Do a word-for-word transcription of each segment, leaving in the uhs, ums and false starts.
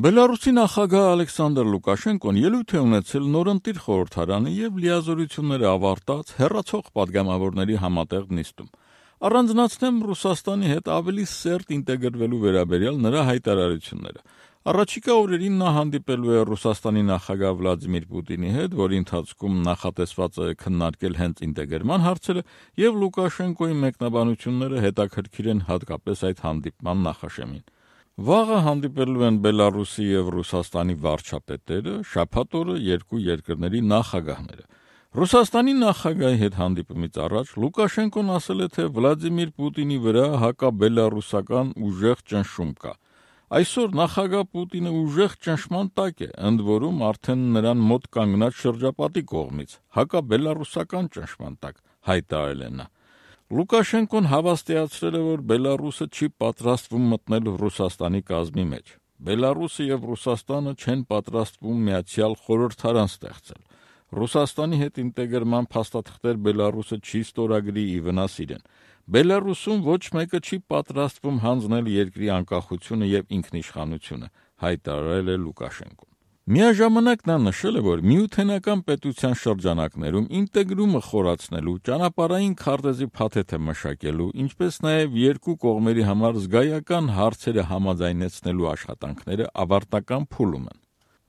Բելարուսի նախագահ Ալեքսանդր Լուկաշենկոն ելույթ է ունեցել նորընտիր խորհրդարանի և լիազորությունները ավարտած հեռացող պատգամավորների համատեղ նիստում։ Առանձնացնեմ Ռուսաստանի հետ ավելի սերտ ինտեգրվելու վերաբերյալ նրա հայտարարությունները։ Առաջիկա օրերին նա հանդիպելու է Ռուսաստանի նախագահ Վլադիմիր Պուտինի հետ, որի ընթացքում նախատեսված է քննարկել հենց ինտեգրման հարցերը, և Լուկաշենկոյի մեկնաբանությունները հետաքրքիր են հատկապես այդ հանդիպման նախաշեմին։ Վաղը հանդիպելու են Բելարուսի և Ռուսաստանի վարչապետերը, շաբաթ օրը երկու երկրների նախագահները։ Ռուսաստանի նախագահի հետ հանդիպումից առաջ Լուկաշենկոն ասել է, թե Վլադիմիր Պուտինի վրա հակաբելարուսական ուժեղ ճնշում կա։ Այսօր նախագահ Պուտինը ուժեղ ճնշման տակ է, ընդ որում արդեն նրան մոտ կանգնած շրջապատի կողմից, հակաբելարուսական ճնշման տակ, հայտարարել է նա։ Լուկաշենկոն հավաստիացրել է, որ Բելարուսը չի պատրաստվում մտնել Ռուսաստանի կազմի մեջ։ Բելարուսը և Ռուսաստանը չեն պատրաստվում միացյալ խորհրդարան ստեղծել։ Ռուսաստանի հետ ինտեգրման փաստաթղթեր Բելարուսը չի ստորագրի ի վնաս իրեն։ Բելարուսում ոչ մեկը չի պատրաստվում հանձնել երկրի անկախությունը և ինքնիշխանությունը, հայտարարել է Լուկաշենկոն։ Միաժամանակ նա նշել է, որ միութենական պետության շրջանակներում ինտեգրումը խորացնելու, ճանապարհային քարտեզի փաթեթը մշակելու, ինչպես նաև երկու կողմերի համար զգայական հարցերը համաձայնեցնելու աշխատանքները ավարտական փուլում են։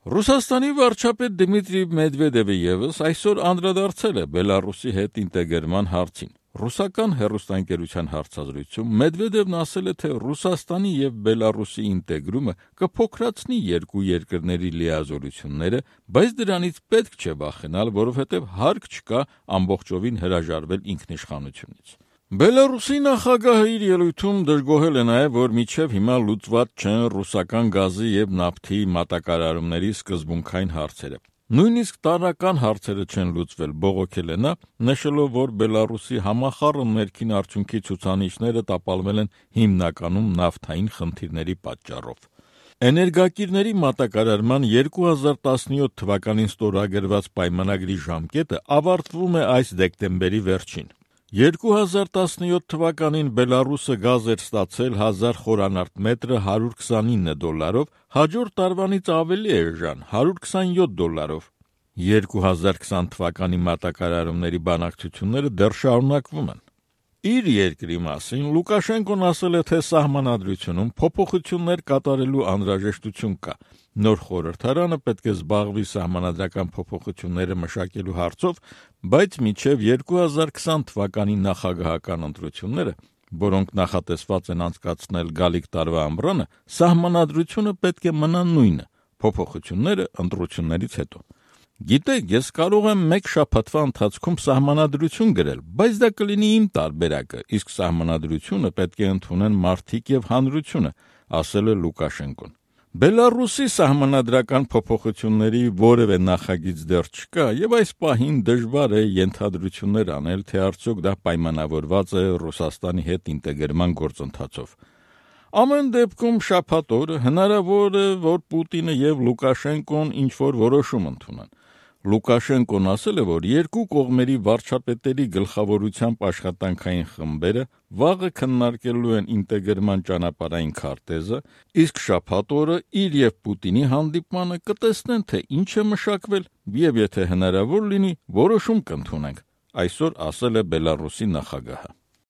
Ռուսաստանի վարչապետ Դմիտրի Մեդվեդևը ևս այսօր անդրադարձել է Բելարուսի հետ ինտեգրման հարցին։ Ռուսական հեռուստաընկերության հարցազրույցում Մեդվեդևն ասել է, թե Ռուսաստանի և Բելարուսի ինտեգրումը կփոքրացնի երկու երկրների լիազորությունները, բայց դրանից պետք չէ վախենալ, որովհետև հարկ չկա ամբողջովին հրաժարվել ինքնիշխանությունից։ Բելարուսի նախագահը իր ելույթում դժգոհել է նաև, որ մինչև հիմա լուծված չեն ռուսական գազի և նավթի մատակարարումների սկզբունքային հարցերը։ Նույնիսկ տարրական հարցերը չեն լուծվել, բողոքել է նա, նշելով, որ Բելարուսի համախառն ներքին արդյունքի ցուցանիշները տապալվել են հիմնականում նավթային խնդիրների պատճառով։ Էներգակիրների մատակարարման երկու հազար տասնյոթ թվականին ստորագրված պայմանագրի ժամկետը ավարտվում է այս դեկտեմբերի վերջին։ երկու հազար տասնյոթ թվականին Բելարուսը գազ էր ստացել հազար խորանարդ մետրը հարյուր քսանինը դոլարով, հաջորդ տարվանից ավելի էժան հարյուր քսանյոթ դոլարով։ երկու հազար քսան թվականի մատակարարումների բանակցությունները դեռ շարունակվում են։ Իր երկրի մասին Լուկաշենկոն ասել է, թե սահմանադրությունում փոփոխություններ կատարելու անհրաժեշտություն կա։ Նոր խորհրդարանը պետք է զբաղվի սահմանադրական փոփոխությունները մշակելու հարցով, բայց մինչև երկու հազար քսան թվականի նախագահական ընտրությունները, որոնք նախատեսված են անցկացնել գալիք տարվա ամռանը, սահմանադրությունը պետք է մնա նույնը, փոփոխությունները ընտրություններից հետո։ Գիտեք, ես կարող եմ մեկ շաբաթվա ընթացքում սահմանադրություն գրել, բայց դա կլինի իմ տարբերակը, իսկ սահմանադրությունը պետք է ընդունեն մարդիկ և հանրությունը, ասել է Լուկաշենկոն։ Բելարուսի սահմանադրական փոփոխությունների որևէ նախագիծ դեռ չկա, և այս պահին դժվար է ենթադրություններ անել, թե արդյոք դա պայմանավորված է Ռուսաստանի հետ ինտեգրման գործընթացով։ Ամեն դեպքում շաբաթ օրը հնարավոր է, որ Պուտինը և Լուկաշենկոն ինչ-որ որոշում ընդունեն։ Լուկաշենկոն ասել է, որ երկու կողմերի վարչապետերի գլխավորությամբ աշխատանքային խմբերը վաղը քննարկելու են ինտեգրման ճանապարհային քարտեզը, իսկ շաբաթ օրը իր և Պուտինի հանդիպմանը կտեսնեն, թե ինչ է մշակվել, և եթե հնարավոր լինի, որոշում կընդունենք, այսօր ասել է Բելարուսի նախագահը։